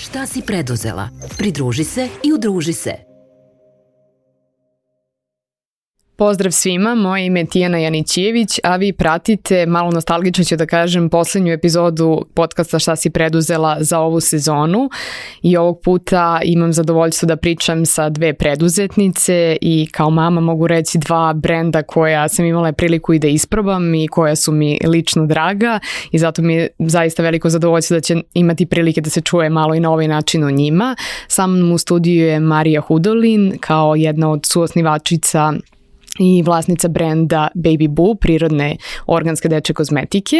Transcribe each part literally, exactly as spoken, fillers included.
Šta si preduzela? Pridruži se i udruži se. Pozdrav svima, moje ime je Tijana Janićijević, a vi pratite, malo nostalgično ću da kažem, poslednju epizodu podcasta Šta si preduzela za ovu sezonu i ovog puta imam zadovoljstvo da pričam sa dve preduzetnice i kao mama mogu reći dva brenda koja sam imala priliku i da isprobam i koja su mi lično draga i zato mi je zaista veliko zadovoljstvo da će imati prilike da se čuje malo i na ovaj način o njima. Sa mnom u studiju je Marija Hudolin kao jedna od suosnivačica i vlasnica brenda Baby Boo, prirodne organske dečje kozmetike,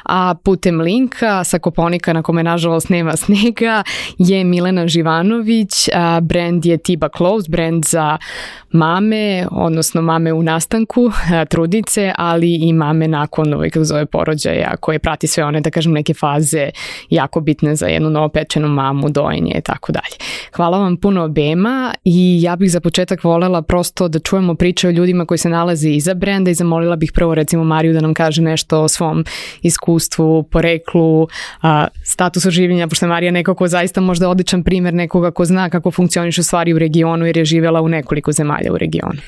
a putem linka sa Kopaonika na kome nažalost nema snega je Milena Živanović, a brend je Tiba Clothes, brend za mame, odnosno mame u nastanku, trudnice, ali i mame nakon ovaj, kako zove, porođaja, koje prati sve one, da kažem, neke faze jako bitne za jednu novopečenu mamu, dojenje i tako dalje. Hvala vam puno obema i ja bih za početak volela prosto da čujemo priče o ljudima koji se nalaze iza brenda i zamolila bih prvo recimo Mariju da nam kaže nešto o svom iskustvu, poreklu, a, statusu življenja, pošto je Marija neko ko zaista možda odličan primjer nekoga ko zna kako funkcionišu stvari u regionu jer je živjela u nekoliko zemalja u regionu.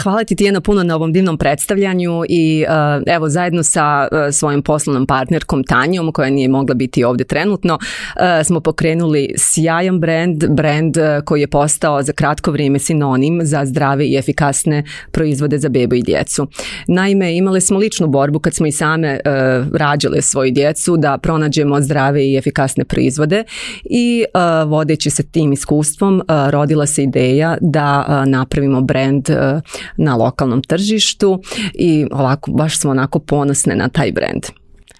Hvala ti Tijana puno na ovom divnom predstavljanju i evo zajedno sa svojim poslovnom partnerkom Tanjom koja nije mogla biti ovdje trenutno smo pokrenuli sjajan brend, brend koji je postao za kratko vrijeme sinonim za zdrave i efikasne proizvode za bebu i djecu. Naime, imali smo ličnu borbu kad smo i same uh, rađale svoju djecu da pronađemo zdrave i efikasne proizvode i uh, vodeći se tim iskustvom uh, rodila se ideja da uh, napravimo brend uh, na lokalnom tržištu i ovako baš smo onako ponosne na taj brend.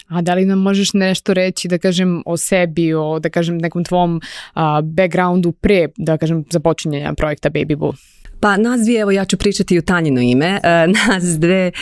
A da li nam možeš nešto reći, da kažem, o sebi, o da kažem nekom tvom uh, backgroundu pre, da kažem, započinjenja projekta Baby Boo? Pa nas dvije, evo ja ću pričati u Tanjino ime, e, nas dve e,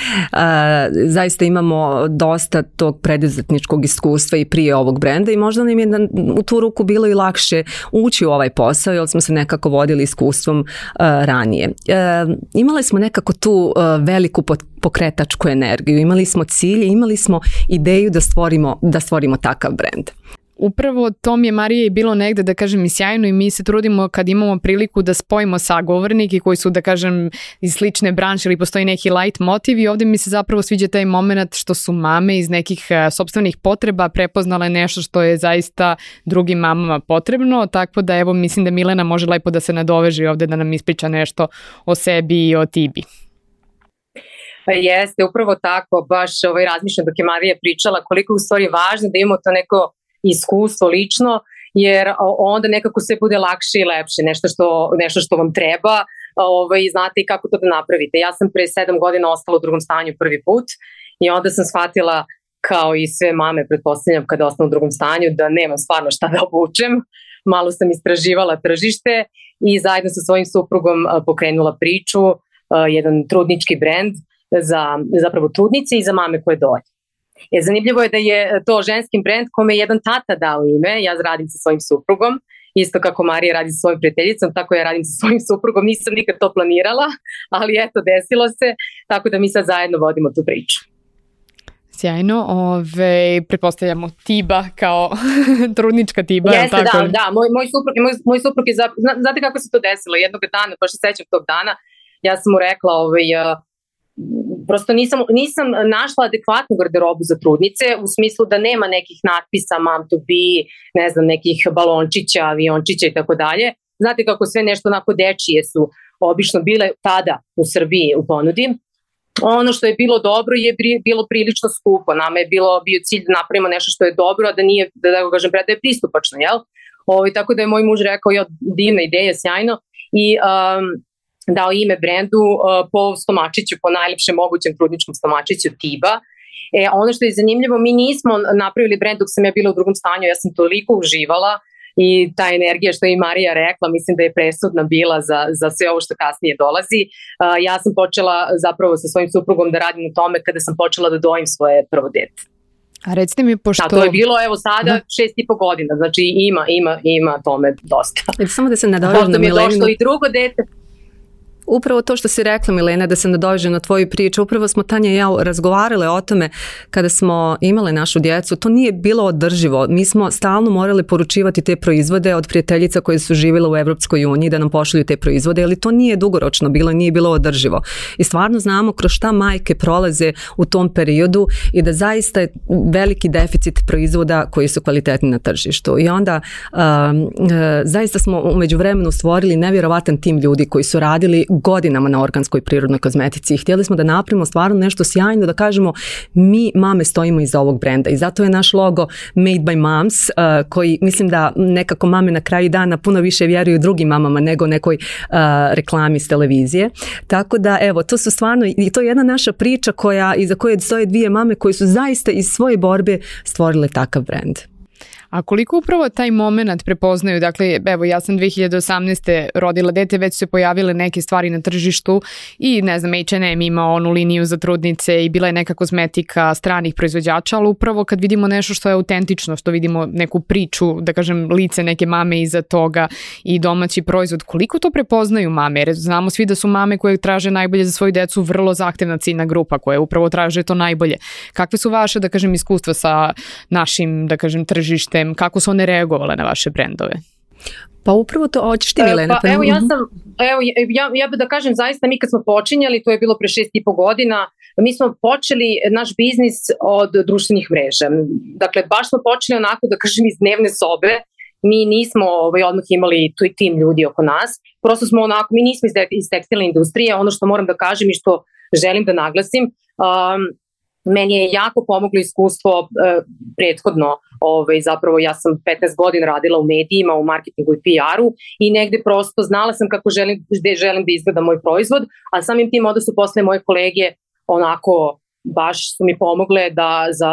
zaista imamo dosta tog preduzetničkog iskustva i prije ovog brenda i možda nam je na, u tu ruku bilo i lakše ući u ovaj posao jer smo se nekako vodili iskustvom e, ranije. E, imali smo nekako tu e, veliku pokretačku energiju, imali smo cilj, imali smo ideju da stvorimo, da stvorimo takav brend. Upravo to mi je, Marija, i bilo negde, da kažem, i sjajno i mi se trudimo kad imamo priliku da spojimo sagovornike koji su, da kažem, iz slične branše ili postoji neki light motiv i ovdje mi se zapravo sviđa taj moment što su mame iz nekih uh, sopstvenih potreba prepoznale nešto što je zaista drugim mamama potrebno, tako da evo mislim da Milena može lepo da se nadoveže ovdje da nam ispriča nešto o sebi i o Tibi. Pa jeste, upravo tako, baš ovaj razmišljam dok je Marija pričala koliko je u stvari važno da imamo to neko iskustvo lično, jer onda nekako sve bude lakše i lepše, nešto što, nešto što vam treba, ovaj, znate i kako to da napravite. Ja sam pre sedam godina ostala u drugom stanju prvi put i onda sam shvatila, kao i sve mame, pretpostavljam kada ostanu u drugom stanju, da nemam stvarno šta da obučem. Malo sam istraživala tržište i zajedno sa svojim suprugom pokrenula priču, jedan trudnički brend za zapravo trudnice i za mame koje doje. E, zanimljivo je da je to ženski brend kome je jedan tata dao ime, ja radim sa svojim suprugom, isto kako Marija radi sa svojim prijateljicom, tako ja radim sa svojim suprugom, nisam nikad to planirala, ali eto, desilo se, tako da mi sad zajedno vodimo tu priču. Sjajno, ove, pretpostavljamo Tiba kao trudnička Tiba. Jeste, tako? da, da, moj, moj suprug, moj, moj suprug je, za, znate kako se to desilo, jednog dana, baš se sećam tog dana, ja sam mu rekla, ovaj, prosto nisam, nisam našla adekvatnu garderobu za trudnice u smislu da nema nekih natpisa mom to be, ne znam, nekih balončića, aviončića i tako dalje. Znate kako sve nešto onako dečije su obično bile tada u Srbiji u ponudi. Ono što je bilo dobro je bilo prilično skupo. Nama je bilo bio cilj da napravimo nešto što je dobro, a da nije, da, da kažem, da je pristupačno, jel? Ovo, tako da je moj muž rekao, jo, divna ideja, sjajno. I um, dao ime brendu uh, po stomačiću, po najlepšem mogućem trudničkom stomačiću Tiba. E, ono što je zanimljivo, mi nismo napravili brend dok sam ja bila u drugom stanju, ja sam toliko uživala i ta energija što je i Marija rekla, mislim da je presudna bila za, za sve ovo što kasnije dolazi. Uh, ja sam počela zapravo sa svojim suprugom da radim u tome kada sam počela da dojim svoje prvo dete. A recite mi, pošto... Da, to je bilo, evo sada, šest i po godina, znači ima, ima, ima tome dosta. Samo da se nadovežem na Mileninu. Došlo i drugo dete. Upravo to što si rekla, Milena, da se nadovežem na tvoju priču, upravo smo Tanja i ja razgovarale o tome kada smo imale našu djecu, to nije bilo održivo. Mi smo stalno morali poručivati te proizvode od prijateljica koje su živjele u Evropskoj uniji da nam pošalju te proizvode, ali to nije dugoročno bilo, nije bilo održivo. I stvarno znamo kroz šta majke prolaze u tom periodu i da zaista je veliki deficit proizvoda koji su kvalitetni na tržištu. I onda um, uh, zaista smo u međuvremenu stvorili nevjerovatan tim ljudi koji su radili godinama na organskoj prirodnoj kozmetici i htjeli smo da napravimo stvarno nešto sjajno, da kažemo mi mame stojimo iza ovog brenda i zato je naš logo Made by Moms, uh, koji mislim da nekako mame na kraju dana puno više vjeruju drugim mamama nego nekoj uh, reklami s televizije. Tako da evo, to su stvarno, i to je jedna naša priča koja, iza koje stoje dvije mame koje su zaista iz svoje borbe stvorile takav brend. A koliko upravo taj moment prepoznaju, dakle, evo ja sam dve hiljade osamnaeste rodila dete, već su se pojavile neke stvari na tržištu i ne znam, H and M ima onu liniju za trudnice i bila je neka kozmetika stranih proizvođača, ali upravo kad vidimo nešto što je autentično, što vidimo neku priču, da kažem, lice neke mame iza toga i domaći proizvod, koliko to prepoznaju mame? Jer znamo svi da su mame koje traže najbolje za svoju decu vrlo zahtevna ciljna grupa koja upravo traže to najbolje. Kakve su vaše, da kažem, iskustva sa našim, da kažem, tržištem? Kako su one reagovale na vaše brendove? Pa upravo to, hoćeš ti, Milena? Pa evo ja sam, evo ja, ja bih da kažem zaista mi kad smo počinjali, to je bilo pre šest i po godina, mi smo počeli naš biznis od društvenih mreža. Dakle, baš smo počeli onako da kažem iz dnevne sobe, mi nismo ovaj, odmah imali tu i tim ljudi oko nas, prosto smo onako, mi nismo iz, iz tekstilne industrije, ono što moram da kažem i što želim da naglasim, um, meni je jako pomoglo iskustvo uh, prethodno, ovaj, zapravo ja sam petnaest godina radila u medijima, u marketingu i P R-u i negde prosto znala sam kako želim, gde želim da izgleda moj proizvod, a samim tim onda su posle moje kolege onako baš su mi pomogle da za,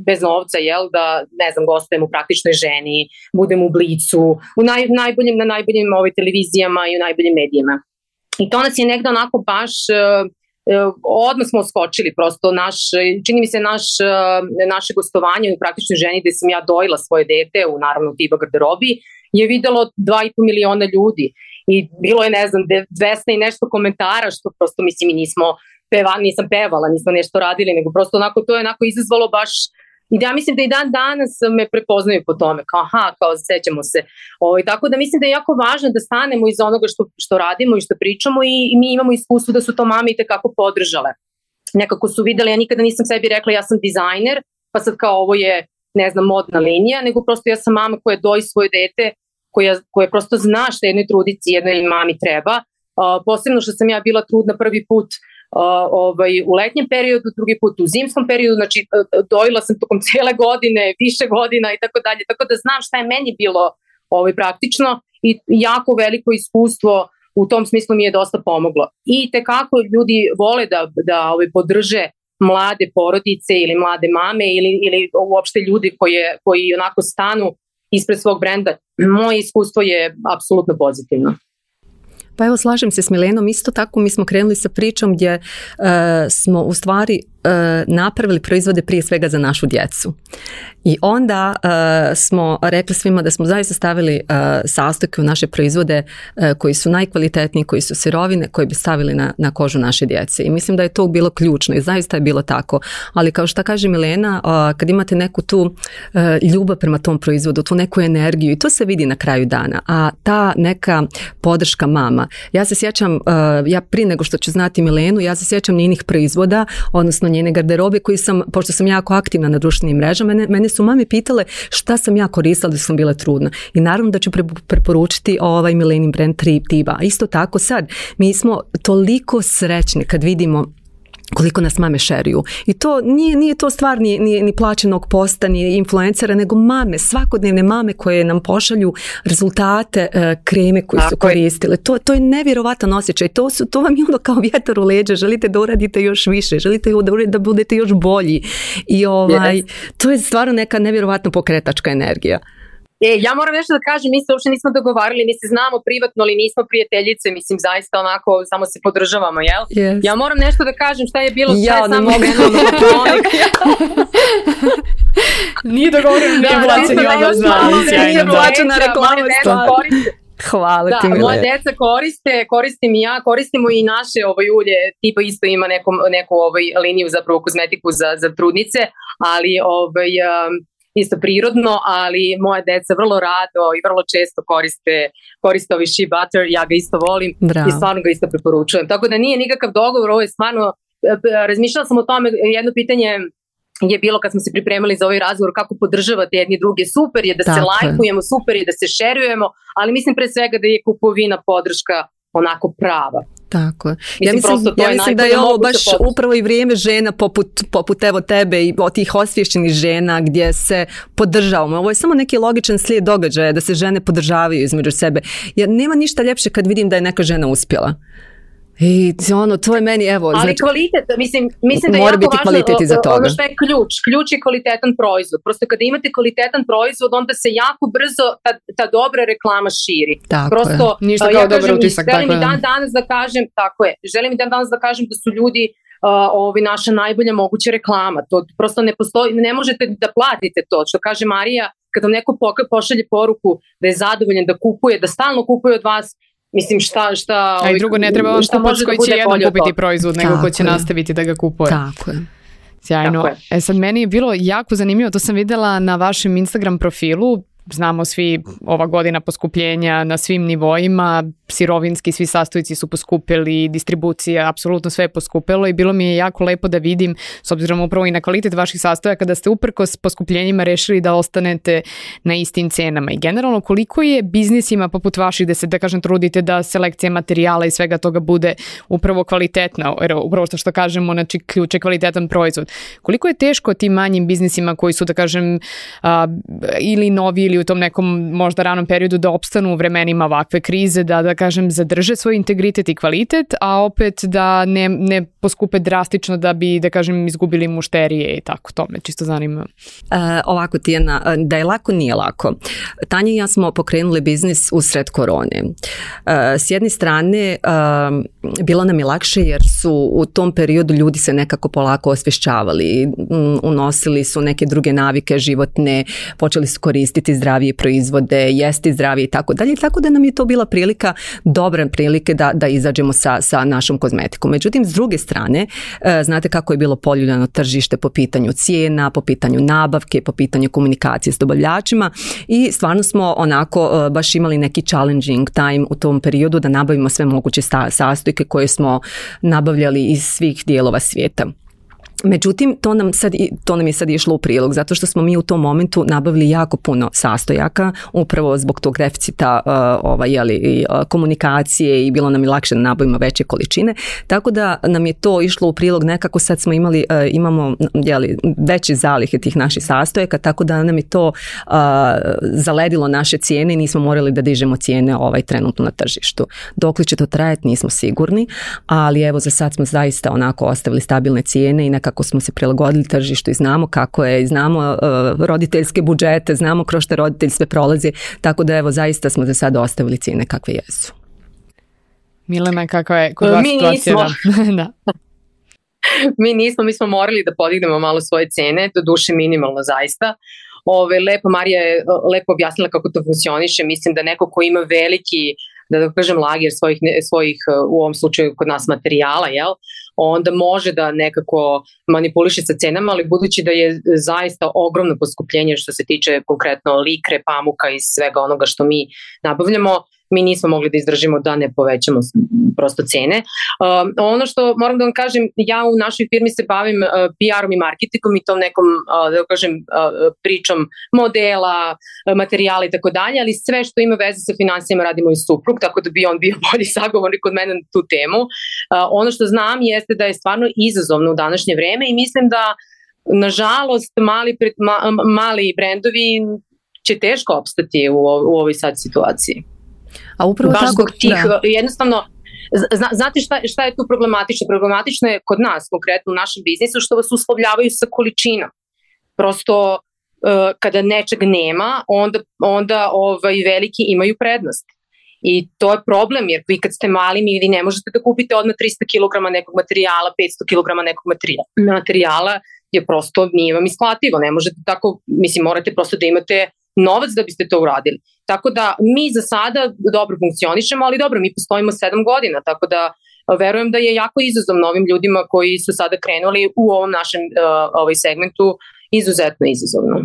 bez novca, jel, da ne znam, gostujem u Praktičnoj ženi, budem u Blicu, u naj, najboljim, na najboljim ovaj, televizijama i u najboljim medijima. I to nas je negde onako baš... Uh, odmah smo skočili, prosto naš, čini mi se naš, naše gostovanje u Praktičnoj ženi gde sam ja dojila svoje dete u naravno Tiba garderobi je videlo dva i po miliona ljudi i bilo je ne znam dvesta i nešto komentara što prosto mislim i nismo pevali, nisam pevala, nismo nešto radili, nego prosto onako to je onako izazvalo baš. I ja mislim da i dan danas me prepoznaju po tome, kao aha, kao sećamo se. O, tako da mislim da je jako važno da stanemo iza onoga što, što radimo i što pričamo i, i mi imamo iskustvo da su to mame i tekako podržale. Nekako su videli, ja nikada nisam sebi rekla ja sam dizajner, pa sad kao ovo je, ne znam, modna linija, nego prosto ja sam mama koja doji svoje dete, koja, koja prosto zna što jednoj trudici, jednoj mami treba. Uh, posebno što sam ja bila trudna prvi put Uh, ovaj, u letnjem periodu, drugi put u zimskom periodu, znači dojila sam tokom cijele godine, više godina i tako dalje, tako da znam šta je meni bilo ovaj, praktično i jako veliko iskustvo u tom smislu mi je dosta pomoglo. I tekako ljudi vole da, da ovaj, podrže mlade porodice ili mlade mame ili, ili uopšte ljudi koje, koji onako stanu ispred svog brenda. Moje iskustvo je apsolutno pozitivno. Pa evo, slažem se s Milenom, isto tako mi smo krenuli sa pričom gdje uh, smo u stvari uh, napravili proizvode prije svega za našu djecu. I onda uh, smo rekli svima da smo zaista stavili uh, sastojke u naše proizvode uh, koji su najkvalitetniji, koji su sirovine, koje bi stavili na, na kožu naše djece. I mislim da je to bilo ključno i zaista je bilo tako. Ali kao što kaže Milena, uh, kad imate neku tu uh, ljubav prema tom proizvodu, tu neku energiju i to se vidi na kraju dana. A ta neka podrška mama. Ja se sjećam, uh, ja prije nego što ću znati Milenu, ja se sjećam njenih proizvoda, odnosno njene garderobe koji sam, pošto sam jako aktivna na društvenim mrežama, mene, mene su mame pitale šta sam ja koristila da sam bila trudna. I naravno da ću pre, preporučiti ovaj Milenin brand Tiba. Isto tako sad, mi smo toliko srećni kad vidimo koliko nas mame šeruju. I to nije, nije to stvar ni, ni, ni plaćenog posta, ni influencera, nego mame, svakodnevne mame koje nam pošalju rezultate uh, kreme koje su koristile. To, to je nevjerovatan osjećaj. To, su, to vam je ono kao vjetar u leđa. Želite da uradite još više. Želite da, da budete još bolji. I ovaj, yes. To je stvarno neka nevjerovatno pokretačka energija. E, ja moram nešto da kažem, mi se uopšte nismo dogovarali, mi se znamo privatno, ali nismo prijateljice, mislim, zaista onako, samo se podržavamo, jel? Yes. Ja moram nešto da kažem šta je bilo, šta ja, je samo krenuo na Patronik. Nije dogovoreno, nije plaćen, nije plaćena reklama. Hvala da, ti, Milena. moja deca koriste, koristim i ja, koristimo i naše ovaj, ulje, tipa isto ima neku, neku ovaj, liniju zapravo kozmetiku za, za trudnice, ali ovaj, um, isto prirodno, ali moja deca vrlo rado i vrlo često koriste, koriste ovaj shea butter, ja ga isto volim. Bravo. I stvarno ga isto preporučujem. Tako da nije nikakav dogovor, ovo je stvarno, razmišljala sam o tome, jedno pitanje je bilo kad smo se pripremali za ovaj razgovor kako podržavate jedni druge, super je da Tako se lajkujemo, super je da se šerujemo, ali mislim pre svega da je kupovina podrška onako prava. Tako je. Ja mislim, ja mislim da je ovo baš upravo i vrijeme žena poput, poput evo tebe i od tih osvješćenih žena gdje se podržavamo. Ovo je samo neki logičan slijed događaja da se žene podržavaju između sebe. Jer nema ništa ljepše kad vidim da je neka žena uspjela. I ono, to je meni, evo... Ali znači, kvalitet, mislim, mislim da je jako važno, ono što je ključ, ključ je kvalitetan proizvod. Prosto kada imate kvalitetan proizvod, onda se jako brzo ta, ta dobra reklama širi. Tako Prosto, je. Ništa kao ja dobar utisak. Želim i dan danas da kažem, tako je, želim i dan danas da kažem da su ljudi uh, ovi naša najbolja moguća reklama. To prosto ne postoji, ne možete da platite to. Što kaže Marija, kad vam neko pošalje poruku da je zadovoljan, da kupuje, da stalno kupuje od vas, mislim šta, šta... A i drugo, ne treba vam kupac koji će jednom kupiti proizvod, nego ko će nastaviti da ga kupuje. Tako je. Sjajno. Tako je. E sad, meni je bilo jako zanimljivo, to sam vidjela na vašem Instagram profilu, znamo svi ova godina poskupljenja na svim nivoima, sirovinski svi sastojci su poskupili, distribucija, apsolutno sve je poskupilo i bilo mi je jako lepo da vidim, s obzirom upravo i na kvalitet vaših sastojaka, da ste uprkos poskupljenjima rešili da ostanete na istim cenama. I generalno, koliko je biznisima poput vaših, da se, da kažem, trudite da selekcija materijala i svega toga bude upravo kvalitetna, jer upravo što, što kažemo, znači ključ je kvalitetan proizvod. Koliko je teško tim manjim biznisima koji su, da kažem, a, ili novi ili u tom nekom možda ranom periodu da opstanu u vremenima ovakve krize, da, da kažem, zadrže svoj integritet i kvalitet, a opet da ne, ne poskupe drastično da bi, da kažem, izgubili mušterije i tako, to me čisto zanima. Uh, ovako, Tijana, da je lako, nije lako. Tanja i ja smo pokrenuli biznis usred korone. Uh, s jedne strane, uh, bilo nam je lakše jer su u tom periodu ljudi se nekako polako osvješćavali, um, unosili su neke druge navike životne, počeli su koristiti zdravije proizvode, jesti zdravije i tako dalje, tako da nam je to bila prilika, dobra prilike da, da izađemo sa, sa našom kozmetikom. Međutim, s druge strane, e, znate kako je bilo poljuljano tržište po pitanju cijena, po pitanju nabavke, po pitanju komunikacije s dobavljačima i stvarno smo onako e, baš imali neki challenging time u tom periodu da nabavimo sve moguće sta, sastojke koje smo nabavljali iz svih dijelova svijeta. Međutim, to nam, sad, to nam je sad išlo u prilog, zato što smo mi u tom momentu nabavili jako puno sastojaka, upravo zbog tog deficita uh, ovaj, jeli, uh, komunikacije i bilo nam je lakše da nabavimo veće količine, tako da nam je to išlo u prilog, nekako sad smo imali, uh, imamo jeli, veće zalihe tih naših sastojaka, tako da nam je to uh, zaledilo naše cijene i nismo morali da dižemo cijene ovaj, trenutno na tržištu. Dokle će to trajati, nismo sigurni, ali evo za sad smo zaista onako ostavili stabilne cijene i nekako smo se prilagodili tržištu i znamo kako je, znamo uh, roditeljske budžete, znamo kroz što roditelj sve prolazi, tako da evo zaista smo za sad ostavili cijene kakve jesu. Milena, kakva je kod vas situacija? Da. Mi nismo, mi smo morali da podignemo malo svoje cene, do duše minimalno zaista. Ove, lepo, Marija je lepo objasnila kako to funkcioniše, mislim da neko ko ima veliki, da da kažem, lager svojih, svojih, u ovom slučaju kod nas materijala, jel? Onda može da nekako manipuliše sa cenama, ali budući da je zaista ogromno poskupljenje što se tiče konkretno likre, pamuka i svega onoga što mi nabavljamo, mi nismo mogli da izdržimo da ne povećamo prosto cene. Um, ono što moram da vam kažem, ja u našoj firmi se bavim uh, P R-om i marketingom i tom nekom, uh, da kažem, uh, pričom modela, uh, materijala i tako dalje, ali sve što ima veze sa financijama radi moj suprug, tako da bi on bio bolji sagovornik od mene na tu temu. Uh, ono što znam jeste da je stvarno izazovno u današnje vreme i mislim da, nažalost, mali, ma, mali brendovi će teško opstati u, u ovoj sad situaciji. A upravo baš tako, zbog tih, da. jednostavno, zna, znate šta, šta je tu problematično? Problematično je kod nas, konkretno u našem biznisu, što vas uslovljavaju sa količinom. Prosto, uh, kada nečeg nema, onda, onda ovaj, veliki imaju prednost. I to je problem, jer vi kad ste mali, vi ne možete da kupite odmah tristo kilograma nekog materijala, petsto kilograma nekog materijala. materijala je prosto, nije vam isplativo, ne možete tako, mislim, morate prosto da imate novac da biste to uradili. Tako da mi za sada dobro funkcionišemo, ali dobro, mi postojimo sedam godina, tako da verujem da je jako izazov novim ljudima koji su sada krenuli u ovom našem uh, ovaj segmentu izuzetno izazovno.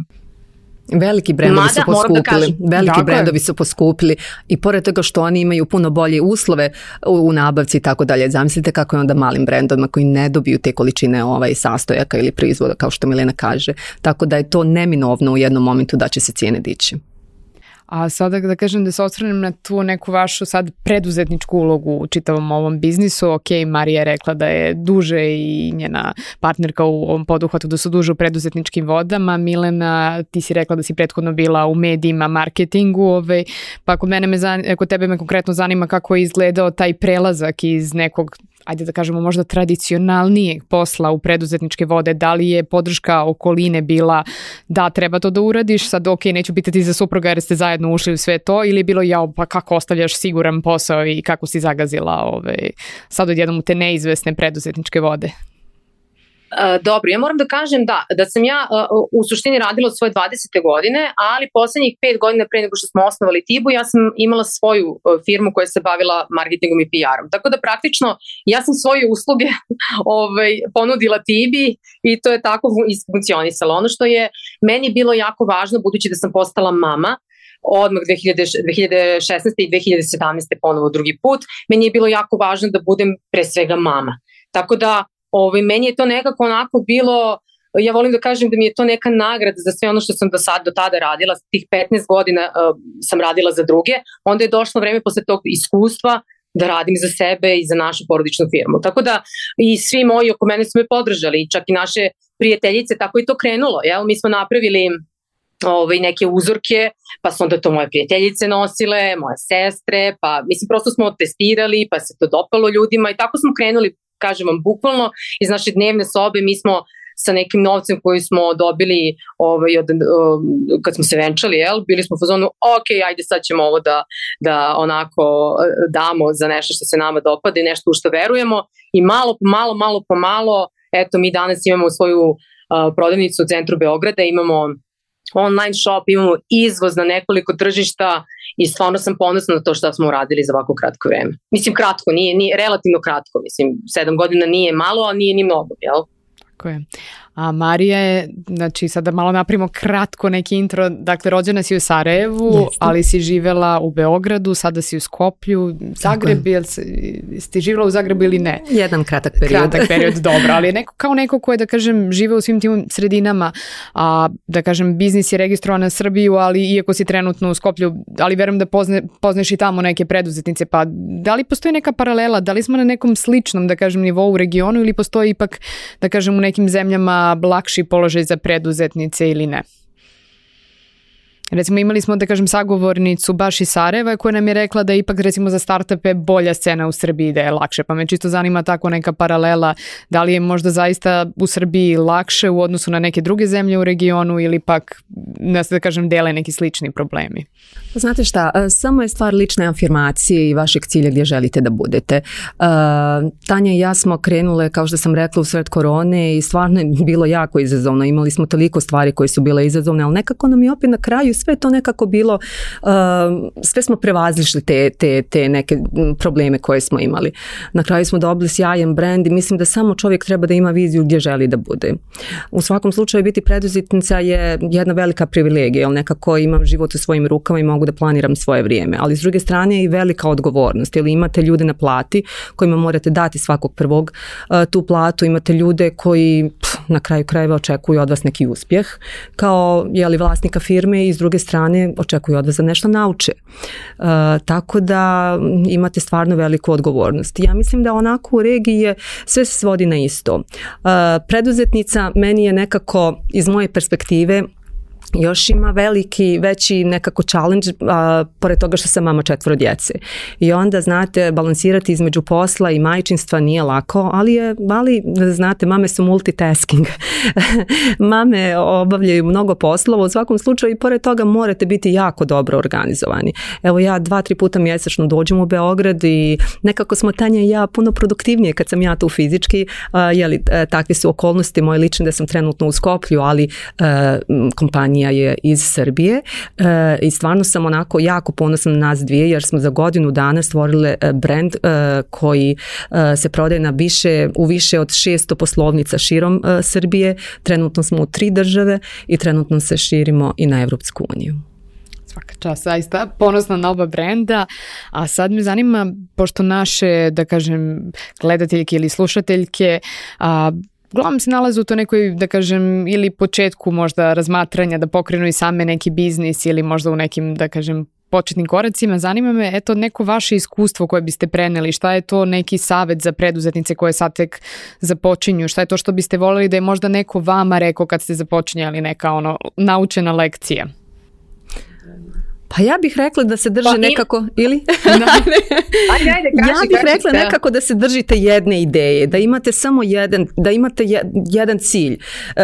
Veliki brendovi Mada, su poskupili, da kažem, veliki dakle. brendovi su poskupili i pored toga što oni imaju puno bolje uslove u, u nabavci i tako dalje. Zamislite kako je onda malim brendovima koji ne dobiju te količine ovaj sastojaka ili proizvoda kao što Milena kaže. Tako da je to neminovno u jednom momentu da će se cijene dići. A sada da kažem da se osvrnem na tu neku vašu sad preduzetničku ulogu u čitavom ovom biznisu. Ok, Marija je rekla da je duže i njena partnerka u ovom poduhvatu da su duže u preduzetničkim vodama. Milena, ti si rekla da si prethodno bila u medijima, marketingu. Ovaj, pa kod mene me zanima, kod tebe me konkretno zanima kako je izgledao taj prelazak iz nekog, ajde da kažemo možda tradicionalnijeg posla u preduzetničke vode. Da li je podrška okoline bila da treba to da uradiš, sad ok, neću pitati za supruga jer ste zajedno ušli u sve to, ili je bilo jao pa kako ostavljaš siguran posao i kako si zagazila ovaj, sad odjednom u te neizvesne preduzetničke vode? Dobro, ja moram da kažem da, da sam ja u suštini radila od svoje dvadesete godine, ali poslednjih pet godina pre nego što smo osnovali Tibu, ja sam imala svoju firmu koja se bavila marketingom i P R-om. Tako da praktično ja sam svoje usluge ovaj, ponudila Tibi i to je tako isfunkcionisalo. Ono što je meni bilo jako važno, budući da sam postala mama, odmah dve hiljade šesnaeste i dve hiljade sedamnaeste ponovo drugi put, meni je bilo jako važno da budem pre svega mama. Tako da Ovaj, meni je to nekako onako bilo, ja volim da kažem da mi je to neka nagrada za sve ono što sam do sad, do tada radila, tih petnaest godina uh, sam radila za druge, onda je došlo vreme posle tog iskustva da radim za sebe i za našu porodičnu firmu. Tako da i svi moji oko mene su me podržali, čak i naše prijateljice, tako i to krenulo. Jel? Mi smo napravili ovaj, neke uzorke, pa su onda to moje prijateljice nosile, moje sestre, pa mislim prosto smo testirali, pa se to dopalo ljudima i tako smo krenuli, kažem vam, bukvalno iz naše dnevne sobe. Mi smo sa nekim novcem koji smo dobili ovaj, od, um, kad smo se venčali, jel, bili smo u fazonu, ok, ajde sad ćemo ovo da, da onako damo za nešto što se nama dopada i nešto u što verujemo i malo po malo, malo po malo, eto mi danas imamo svoju uh, prodavnicu u centru Beograda, imamo online shop, imamo izvoz na nekoliko tržišta i stvarno sam ponosna na to što smo uradili za ovako kratko vreme. Mislim kratko, nije, nije relativno kratko, mislim sedam godina nije malo, a nije ni mnogo, jel? Tako je. A Marija je, znači sada malo napravimo kratko neki intro, dakle rođena si u Sarajevu, Jeste. ali si živela u Beogradu, sada si u Skoplju, Zagreb, jel si živela u Zagrebu ili ne? Jedan kratak period. Kratak period, dobro, ali neko, kao neko ko je, da kažem, žive u svim tim sredinama, a da kažem, biznis je registrovan na Srbiju, ali iako si trenutno u Skoplju, ali verujem da pozne, pozneš i tamo neke preduzetnice, pa da li postoji neka paralela, da li smo na nekom sličnom, da kažem, nivou u regionu ili postoji ipak, da kažem, u nekim zemljama lakši položaj za preduzetnice ili ne? Recimo imali smo, da kažem, sagovornicu baš iz Sarajeva koja nam je rekla da ipak recimo za startupe bolja scena u Srbiji, da je lakše, pa me čisto zanima tako neka paralela, da li je možda zaista u Srbiji lakše u odnosu na neke druge zemlje u regionu ili pak, da kažem, dele neki slični problemi? Znate šta, samo je stvar lične afirmacije i vašeg cilja gdje želite da budete. Tanja i ja smo krenule, kao što sam rekla, u sred korone i stvarno je bilo jako izazovno. Imali smo toliko stvari koje su bile izazovne, ali nekako nam je opet na kraju sve to nekako bilo, sve smo prevazišli te, te, te neke probleme koje smo imali. Na kraju smo dobili sjajan brend i mislim da samo čovjek treba da ima viziju gdje želi da bude. U svakom slučaju biti preduzetnica je jedna velika privilegija, jer nekako imam život u svojim rukama i mogu da planiram svoje vrijeme, ali s druge strane je i velika odgovornost, jer imate ljude na plati kojima morate dati svakog prvog uh, tu platu, imate ljude koji pff, na kraju krajeva očekuju od vas neki uspjeh, kao jeli, vlasnika firme i s druge strane očekuju od vas da nešto nauče. Uh, tako da imate stvarno veliku odgovornost. Ja mislim da onako u regiji je, sve se svodi na isto. Uh, preduzetnica meni je nekako iz moje perspektive još ima veliki, veći nekako challenge, a, pored toga što sam mama četvoro djece. I onda, znate, balansirati između posla i majčinstva nije lako, ali je, ali, znate, mame su multitasking. Mame obavljaju mnogo poslova, u svakom slučaju i pored toga morate biti jako dobro organizovani. Evo ja dva, tri puta mjesečno dođem u Beograd i nekako smo Tanja i ja puno produktivnije kad sam ja tu fizički, a, jeli, takve su okolnosti moje lične da sam trenutno u Skoplju, ali a, kompanija kompanija je iz Srbije e, i stvarno sam onako jako ponosna na nas dvije jer smo za godinu dana stvorile brand e, koji e, se prodaje na više, u više od šesto poslovnica širom e, Srbije. Trenutno smo u tri države i trenutno se širimo i na Evropsku uniju. Svaka čast, zaista ponosna na oba brenda, a sad me zanima, pošto naše, da kažem, gledateljke ili slušateljke, a, uglavnom se nalaze u to nekoj, da kažem, ili početku možda razmatranja da pokrenu i same neki biznis ili možda u nekim, da kažem, početnim koracima. Zanima me, eto, neko vaše iskustvo koje biste preneli, šta je to neki savet za preduzetnice koje sad tek započinju, šta je to što biste voljeli da je možda neko vama rekao kad ste započinjali, neka ono naučena lekcija? Pa ja bih rekla da se drže pa nekako, ili? ajde, ajde, kaži, ja bih kaži, rekla da. nekako da se držite jedne ideje, da imate samo jedan, da imate jedan cilj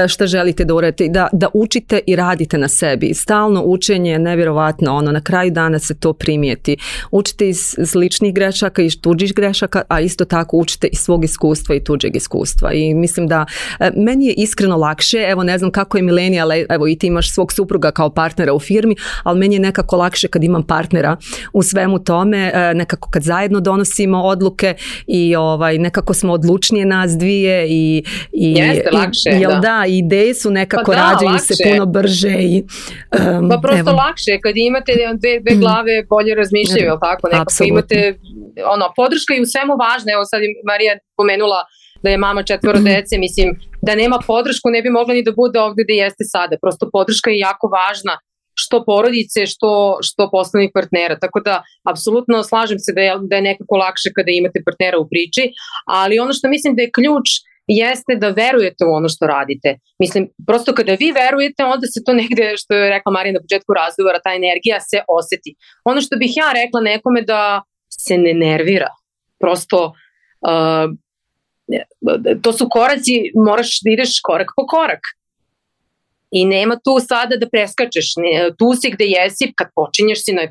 što želite da uradite, da, da učite i radite na sebi. Stalno učenje je nevjerovatno, ono, na kraju dana se to primijeti. Učite iz sličnih grešaka i tuđih grešaka, a isto tako učite iz svog iskustva i tuđeg iskustva. I mislim da meni je iskreno lakše, evo ne znam kako je Mileni, ali evo i ti imaš svog supruga kao partnera u firmi, ali meni je nekako lakše kad imam partnera u svemu tome, nekako kad zajedno donosimo odluke i ovaj, nekako smo odlučnije nas dvije i, i, Jeste, lakše, i, jel da. da, ideje su nekako Pa da, rađaju lakše. se puno brže i um, pa prosto evo. lakše, kad imate dve, dve glave bolje razmišljaju, jel tako? Nekako Apsolutno. imate, ono, podrška i u svemu važna, evo sad je Marija pomenula da je mama četvoro dece, mislim, da nema podršku ne bi mogla ni da bude ovdje gde jeste sada, prosto podrška je jako važna, što porodice, što, što poslovnih partnera. Tako da, apsolutno slažem se da je, da je nekako lakše kada imate partnera u priči, ali ono što mislim da je ključ jeste da verujete u ono što radite. Mislim, prosto kada vi verujete, onda se to negde, što je rekla Marija na početku razgovora, ta energija se oseti. Ono što bih ja rekla nekome da se ne nervira. Prosto, uh, to su koraci, moraš da ideš korak po korak. I nema tu sada da preskačeš, tu si gde jesi, kad počinješ si na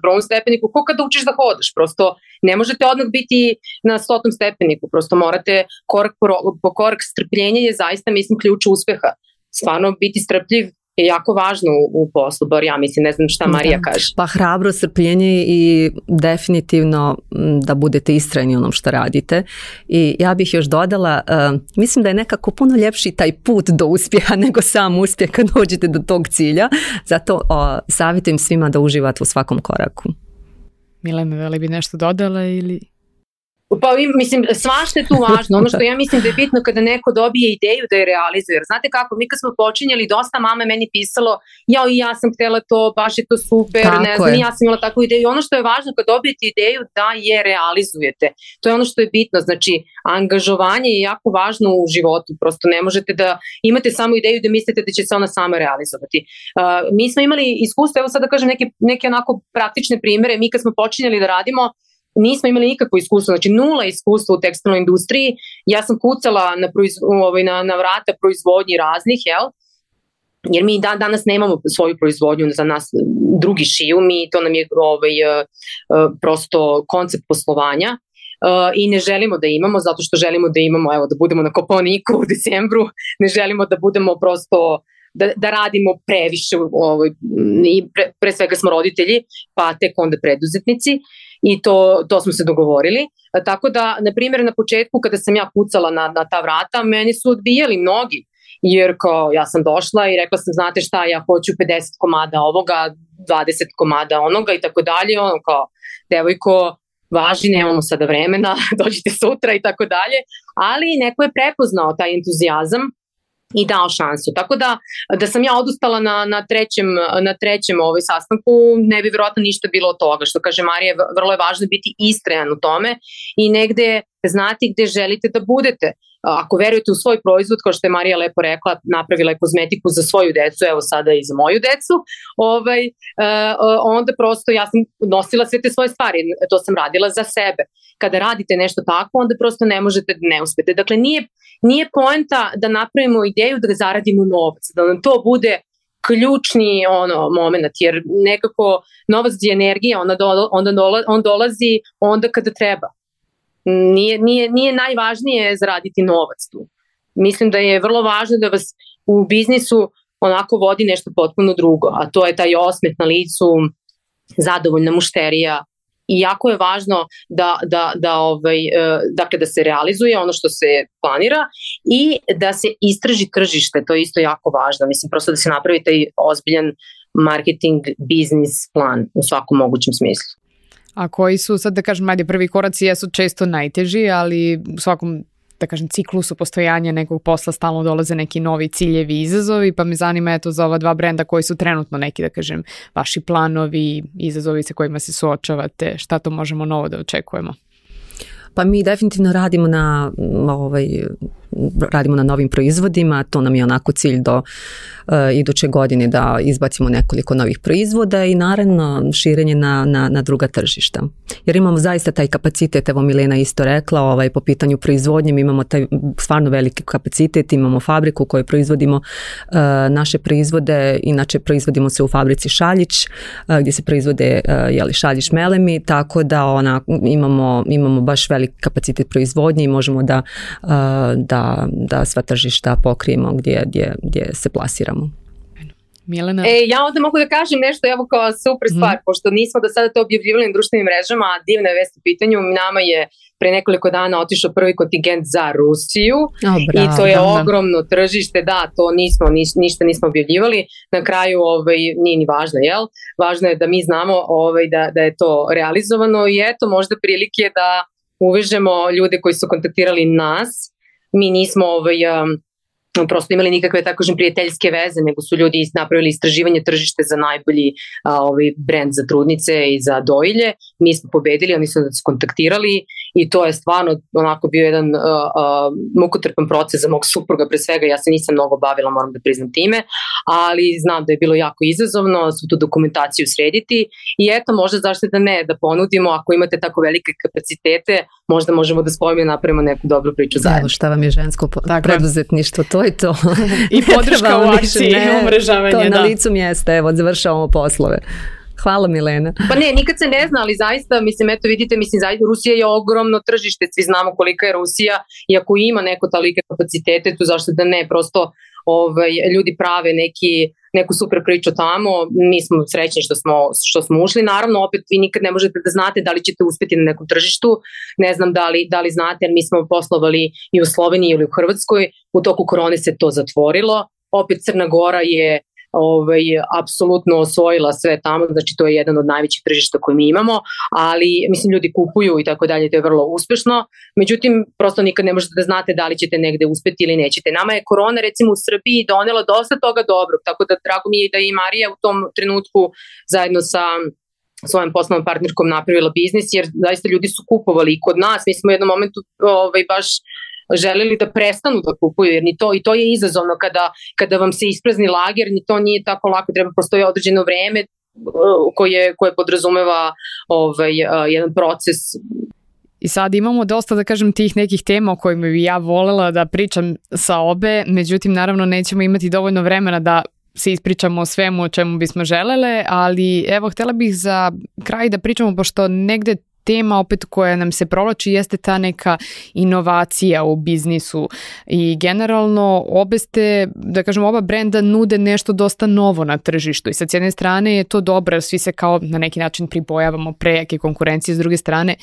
prvom stepeniku, ko kada učiš da hodaš, prosto ne možete odmah biti na stotom stepeniku, prosto morate korak po, po korak. Strpljenje je zaista, mislim, ključ uspeha. Stvarno biti strpljiv je jako važno u, u poslu, bar ja mislim, ne znam šta Marija da. kaže. Pa hrabro, strpljenje i definitivno da budete istrajni u onom što radite. I ja bih još dodala, uh, mislim da je nekako puno ljepši taj put do uspjeha nego sam uspjeh kad dođete do tog cilja. Zato uh, savjetujem svima da uživate u svakom koraku. Milena, da li bi nešto dodala ili... Pa mislim, svašta je tu važno. Ono što ja mislim da je bitno kada neko dobije ideju da je realizuje. Jer znate kako, mi kad smo počinjali, dosta mama meni pisalo, ja i ja sam htjela to, baš je to super, tako ne znam, je. ja sam imala takvu ideju. Ono što je važno kad dobijete ideju da je realizujete. To je ono što je bitno. Znači, angažovanje je jako važno u životu. Prosto ne možete da imate samo ideju da mislite da će se ona sama realizovati. Uh, mi smo imali iskustvo, evo sad da kažem neke, neke onako praktične primere. Mi kad smo počinjali da radimo, nismo imali nikakvo iskustvo, znači nula iskustva u tekstilnoj industriji. Ja sam kucala na, proiz, na, na vrata proizvodnji raznih, jel? Jer mi dan, danas nemamo svoju proizvodnju, za nas drugi šiju, mi, to nam je ovaj, prosto koncept poslovanja. Uh, i ne želimo da imamo, zato što želimo da imamo, evo, da budemo na Kopaoniku u decembru, ne želimo da budemo prosto Da, da radimo previše, ovaj, i pre, pre svega smo roditelji, pa tek onda preduzetnici i to, to smo se dogovorili. A, tako da, na primjer, na početku kada sam ja pucala na, na ta vrata, meni su odbijali mnogi, jer kao ja sam došla i rekla sam, znate šta, ja hoću pedeset komada ovoga, dvadeset komada onoga i tako dalje, ono kao, devojko, važi, nemamo sada vremena, dođite sutra i tako dalje, ali neko je prepoznao taj entuzijazam i dao šansu. Tako da, da sam ja odustala na, na trećem, na trećem ovaj sastanku, ne bi vjerojatno ništa bilo od toga. Što kaže Marija, vrlo je važno biti istrajan u tome i negde znati gde želite da budete. Ako verujete u svoj proizvod, kao što je Marija lepo rekla, napravila je kozmetiku za svoju decu, evo sada i za moju decu, ovaj, onda prosto ja sam nosila sve te svoje stvari, to sam radila za sebe. Kada radite nešto tako, onda prosto ne možete da ne uspete. Dakle, nije, nije poenta da napravimo ideju da zaradimo novac, da nam to bude ključni ono moment, jer nekako novac je energija, onda, do, onda dola, on dolazi onda kada treba. Nije, nije, nije najvažnije zaraditi novac tu. Mislim da je vrlo važno da vas u biznisu onako vodi nešto potpuno drugo, a to je taj osmeh na licu, zadovoljna mušterija. I jako je važno da, da, da, ovaj, dakle, da se realizuje ono što se planira i da se istraži tržište, to je isto jako važno. Mislim, prosto da se napravi taj ozbiljan marketing, biznis plan u svakom mogućem smislu. A koji su, sad da kažem, ajde, prvi koraci jesu često najteži, ali u svakom, da kažem, ciklusu postojanja nekog posla stalno dolaze neki novi ciljevi i izazovi, pa me zanima eto za ova dva brenda koji su trenutno neki, da kažem, vaši planovi, izazovi sa kojima se suočavate, šta to možemo novo da očekujemo? Pa mi definitivno radimo na ovaj, radimo na novim proizvodima, to nam je onako cilj do uh, iduće godine da izbacimo nekoliko novih proizvoda i naravno širenje na, na, na druga tržišta. Jer imamo zaista taj kapacitet, evo Milena isto rekla, ovaj, po pitanju proizvodnje, mi imamo taj stvarno veliki kapacitet, imamo fabriku u kojoj proizvodimo uh, naše proizvode, inače proizvodimo se u fabrici Šaljić, uh, gdje se proizvode uh, jeli, Šaljić melemi, tako da ona, imamo, imamo baš veliki kapacitet proizvodnje i možemo da, uh, da da sva tržišta pokrijemo gdje, gdje, gdje se plasiramo. Milena? E, ja onda mogu da kažem nešto evo kao super stvar, mm. pošto nismo do sada to objavljivali na društvenim mrežama, a divna je vest u pitanju, nama je pre nekoliko dana otišao prvi kontingent za Rusiju oh, bravo, i to je da, ogromno tržište, da, to nismo, niš, ništa nismo objavljivali, na kraju ovaj, nije ni važno, jel? Važno je da mi znamo ovaj, da, da je to realizovano i eto možda prilike da uvežemo ljude koji su kontaktirali nas. Mi nismo ovaj, um, prosto imali nikakve tako kažem prijateljske veze, nego su ljudi napravili istraživanje tržište za najbolji a, ovaj brend za trudnice i za dojilje. Mi smo pobedili, oni su nas kontaktirali i to je stvarno onako bio jedan a, a, mukotrpan proces za mog supruga pre svega. Ja se nisam mnogo bavila, moram da priznam time, ali znam da je bilo jako izazovno svu tu dokumentaciju srediti i eto možda zašto da ne, da ponudimo ako imate tako velike kapacitete, možda možemo da spojimo i napravimo neku dobru priču zajedno. Evo šta vam je žensko po- preduzetništvo, to je to. I podrška u akciji, umrežavanje. To na da. licu mjesta, evo, završavamo poslove. Hvala Milena. Pa ne, nikad se ne zna, ali zaista, mislim, eto vidite, mislim, zaista Rusija je ogromno tržište, svi znamo kolika je Rusija i ako ima neko talike kapacitete, tu zašto da ne, prosto ovaj, ljudi prave neki, neku super priču tamo, mi smo srećni što smo, što smo ušli, naravno opet vi nikad ne možete da znate da li ćete uspjeti na nekom tržištu, ne znam da li, da li znate, jer mi smo poslovali i u Sloveniji ili u Hrvatskoj, u toku korone se to zatvorilo, opet Crna Gora je ovaj, apsolutno osvojila sve tamo, znači to je jedan od najvećih tržišta koje mi imamo, ali mislim ljudi kupuju i tako dalje, to je vrlo uspešno, međutim prosto nikad ne možete da znate da li ćete negde uspeti ili nećete. Nama je korona recimo u Srbiji donela dosta toga dobrog, tako da drago mi je da i Marija u tom trenutku zajedno sa svojom poslovnom partnerkom napravila biznis, jer zaista ljudi su kupovali i kod nas, mi smo u jednom momentu ovaj, baš želeli da prestanu da kupuju, jer ni to, i to je izazovno kada, kada vam se isprazni lager, ni to nije tako lako, treba postoji određeno vreme koje, koje podrazumeva ovaj, jedan proces. I sad imamo dosta, da kažem, tih nekih tema o kojima bi ja volela da pričam sa obe, međutim, naravno, nećemo imati dovoljno vremena da se ispričamo o svemu o čemu bismo želele, ali evo, htjela bih za kraj da pričamo, pošto negde tema opet koja nam se provlači jeste ta neka inovacija u biznisu i generalno obe ste, da kažem, oba brenda nude nešto dosta novo na tržištu i sa jedne strane je to dobro jer svi se kao na neki način pribojavamo prejake konkurencije, s druge strane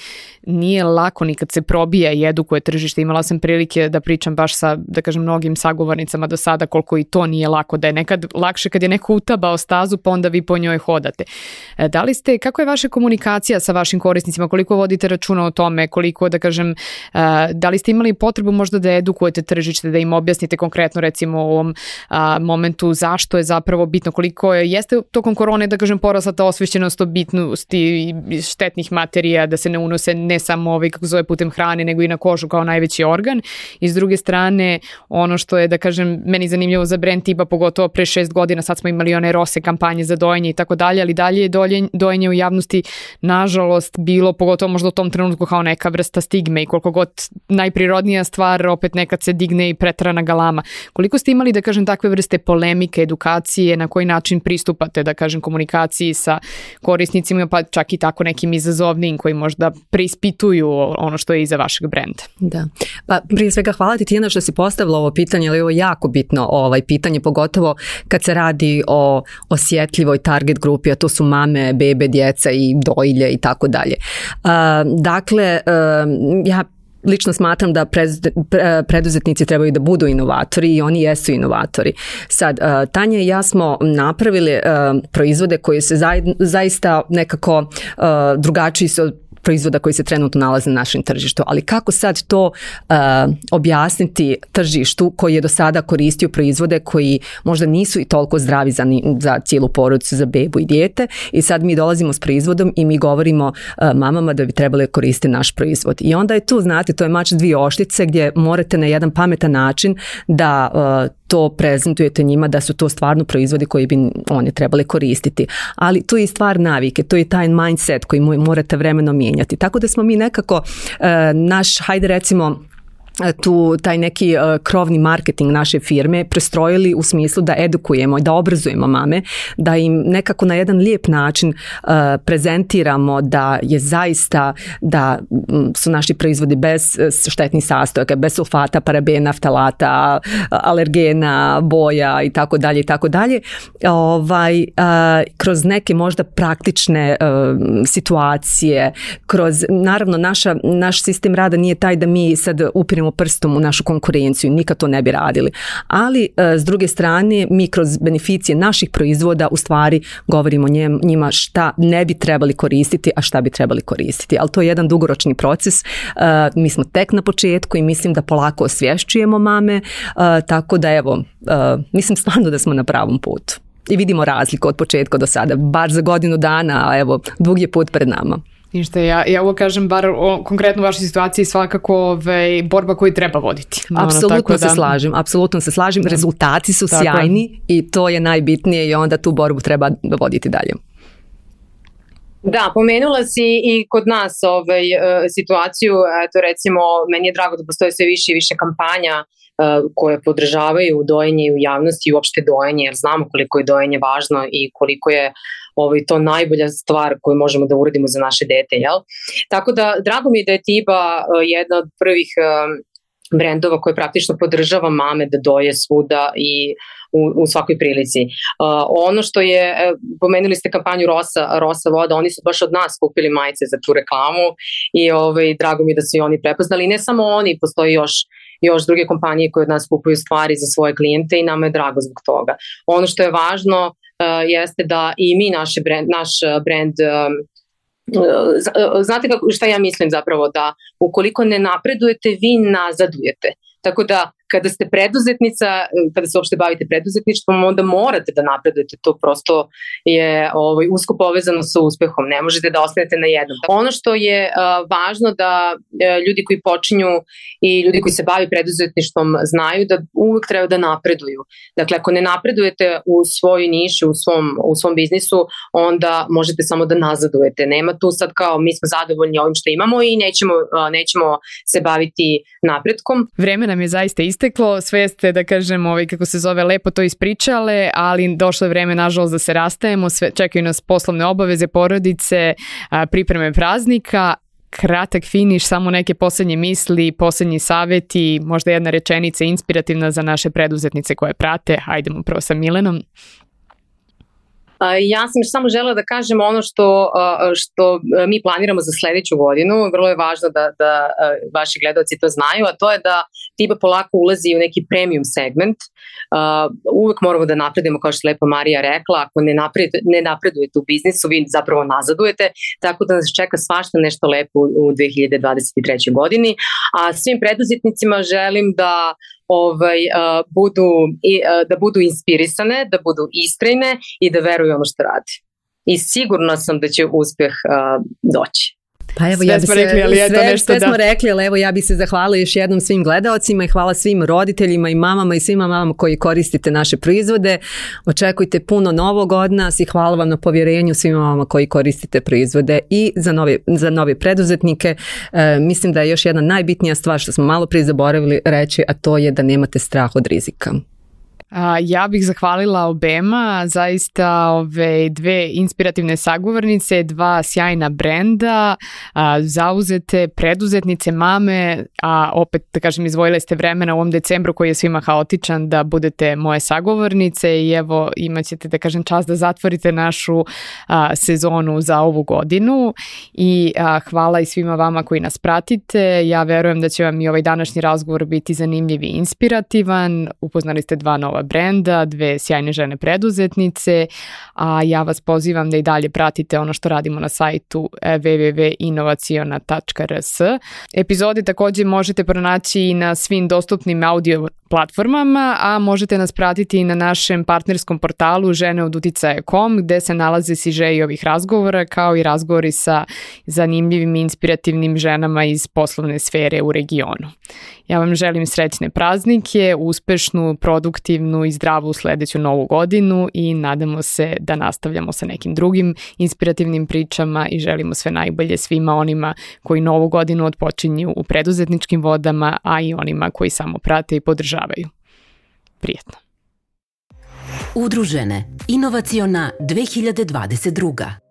nije lako ni kad se probija i edukuje tržište. Imala sam prilike da pričam baš sa, da kažem, mnogim sagovornicama do sada koliko i to nije lako, da je nekad lakše kad je neko utabao stazu pa onda vi po njoj hodate. Da li ste, kako je vaša komunikacija sa vašim korisnicima, koliko vodite računa o tome, koliko, da kažem, da li ste imali potrebu možda da edukujete tržište, da im objasnite konkretno recimo u ovom momentu zašto je zapravo bitno, koliko je, jeste tokom korone, da kažem, porasla ta osvešćenost o bitnosti štetnih materija, da se ne unose ne samo ovaj, kako zove, putem hrane, nego i na kožu kao najveći organ. I s druge strane, ono što je, da kažem, meni zanimljivo za brend tipa, pogotovo pre šest godina, sad smo imali one rose kampanje za dojenje i tako dalje, ali dalje je dojenje u javnosti, nažalost, bilo pogotovo možda u tom trenutku kao neka vrsta stigme i koliko god najprirodnija stvar, opet nekad se digne i preterana galama. Koliko ste imali, da kažem, takve vrste polemike, edukacije, na koji način pristupate, da kažem, komunikaciji sa korisnicima, pa čak i tako nekim izazovnim koji možda preispituju ono što je iza vašeg brenda? Da, pa prije svega hvala ti Tijana što si postavila ovo pitanje, ali ovo je jako bitno ovaj pitanje, pogotovo kad se radi o osjetljivoj target grupi, a to su mame, bebe, djeca i dojilje i tako dalje. Dakle, ja lično smatram da preduzetnici trebaju da budu inovatori i oni jesu inovatori. Sad, Tanja i ja smo napravili proizvode koji se zaista nekako drugačiji su od proizvoda koji se trenutno nalaze na našem tržištu. Ali kako sad to uh, objasniti tržištu koji je do sada koristio proizvode koji možda nisu i toliko zdravi za, za cijelu porodicu, za bebu i dijete, i sad mi dolazimo s proizvodom i mi govorimo uh, mamama da bi trebali koristiti naš proizvod. I onda je tu, znate, to je mač dvije oštice gdje morate na jedan pametan način da uh, to prezentujete njima da su to stvarno proizvodi koji bi oni trebali koristiti. Ali to je stvar navike, to je taj mindset koji morate vremenom mijenjati. Tako da smo mi nekako naš, hajde recimo, tu taj neki uh, krovni marketing naše firme prestrojili u smislu da edukujemo i da obrazujemo mame, da im nekako na jedan lijep način uh, prezentiramo da je zaista da m, su naši proizvodi bez štetnih sastojaka, bez sulfata, parabena, ftalata, alergena, boja i tako dalje i tako dalje. Ovaj, uh, kroz neke možda praktične uh, situacije, kroz, naravno naša, naš sistem rada nije taj da mi sad upiremo prstom u našu konkurenciju, nikad to ne bi radili. Ali s druge strane mi kroz beneficije naših proizvoda u stvari govorimo njima šta ne bi trebali koristiti, a šta bi trebali koristiti. Ali to je jedan dugoročni proces. Mi smo tek na početku i mislim da polako osvješćujemo mame, tako da evo, mislim stvarno da smo na pravom putu. I vidimo razliku od početka do sada, bar za godinu dana, a evo, dug je put pred nama. Ništa, ja, ja ovo kažem, bar o, konkretno u vašoj situaciji svakako ove, borba koju treba voditi. Apsolutno ono, se da... slažem, apsolutno se slažem, da. Rezultati su tako sjajni i to je najbitnije i onda tu borbu treba voditi dalje. Da, pomenula si i kod nas ovaj, situaciju, eto recimo, meni je drago da postoje sve više i više kampanja koje podržavaju dojenje u javnosti i uopšte dojenje, jer znamo koliko je dojenje važno i koliko je ovaj, to najbolja stvar koju možemo da uradimo za naše dete, jel? Tako da, drago mi je da je Tiba jedna od prvih brendova koje praktično podržava mame da doje svuda i u, u svakoj prilici. Uh, ono što je, pomenuli ste kampanju Rosa, Rosa voda, oni su baš od nas kupili majice za tu reklamu i ovaj, drago mi je da su i oni prepoznali. I ne samo oni, postoji još još druge kompanije koje od nas kupuju stvari za svoje klijente i nama je drago zbog toga. Ono što je važno uh, jeste da i mi naše brand, naš brand um, znate kako, šta ja mislim zapravo, da ukoliko ne napredujete, vi nazadujete. Tako da kada ste preduzetnica, kada se uopšte bavite preduzetništvom, onda morate da napredujete, to prosto je ovaj, usko povezano sa uspehom, ne možete da ostanete na jednom. Ono što je uh, važno da uh, ljudi koji počinju i ljudi koji se bavi preduzetništvom znaju da uvek treba da napreduju. Dakle, ako ne napredujete u svojoj niši, u svom, u svom biznisu, onda možete samo da nazadujete. Nema tu sad kao mi smo zadovoljni ovim što imamo i nećemo, uh, nećemo se baviti napretkom. Vreme nam je zaista isteklo, sve ste, da kažem, ovaj, kako se zove, lepo to ispričale, ali došlo je vreme, nažalost, da se rastajemo, sve, čekaju nas poslovne obaveze, porodice, a, pripreme praznika. Kratak finiš, samo neke poslednje misli, poslednji saveti, možda jedna rečenica inspirativna za naše preduzetnice koje prate. Hajdemo prvo sa Milenom. Ja sam samo želela da kažem ono što, što mi planiramo za sledeću godinu. Vrlo je važno da, da vaši gledalci to znaju, a to je da Tiba polako ulazi u neki premium segment. Uvek moramo da napredimo, kao što je lepo Marija rekla, ako ne, napred, ne napredujete u biznisu, vi zapravo nazadujete, tako da nas čeka svašta nešto lepo u dve hiljade dvadeset trećoj godini. A svim preduzetnicima želim da Ovaj, uh, budu, uh, da budu inspirisane, da budu istrajne i da veruju ono što radi. I sigurna sam da će uspeh uh, doći. Pa evo, sve ja bi smo se, rekli, ali eto sve, nešto sve da... smo rekli, ali evo ja bih se zahvalila još jednom svim gledaocima i hvala svim roditeljima i mamama i svima mamama koji koristite naše proizvode. Očekujte puno novog od nas i hvala vam na povjerenju svima mamama koji koristite proizvode i za nove, za nove preduzetnike. E, mislim da je još jedna najbitnija stvar što smo malo prije zaboravili reći, a to je da nemate strah od rizika. A, ja bih zahvalila obema, zaista ove dve inspirativne sagovornice, dva sjajna brenda, a, zauzete preduzetnice, mame, a opet da kažem izvojile ste vremena u ovom decembru koji je svima haotičan da budete moje sagovornice i evo imat ćete da kažem čast da zatvorite našu a, sezonu za ovu godinu i a, hvala i svima vama koji nas pratite. Ja verujem da će vam i ovaj današnji razgovor biti zanimljiv i inspirativan. Upoznali ste dva nova brenda, dve sjajne žene preduzetnice, a ja vas pozivam da i dalje pratite ono što radimo na sajtu w w w tačka inovaciona tačka r s. Epizode također možete pronaći i na svim dostupnim audio platformama, a možete nas pratiti i na našem partnerskom portalu žene od uticaja tačka com gde se nalaze sižeji ovih razgovora kao i razgovori sa zanimljivim i inspirativnim ženama iz poslovne sfere u regionu. Ja vam želim srećne praznike, uspešnu, produktivnu i zdravu sledeću novu godinu i nadamo se da nastavljamo sa nekim drugim inspirativnim pričama i želimo sve najbolje svima onima koji novu godinu otpočinju u preduzetničkim vodama, a i onima koji samo prate i podržavaju. Prijetno. Udružene. Inovaciona dve hiljade dvadeset druga.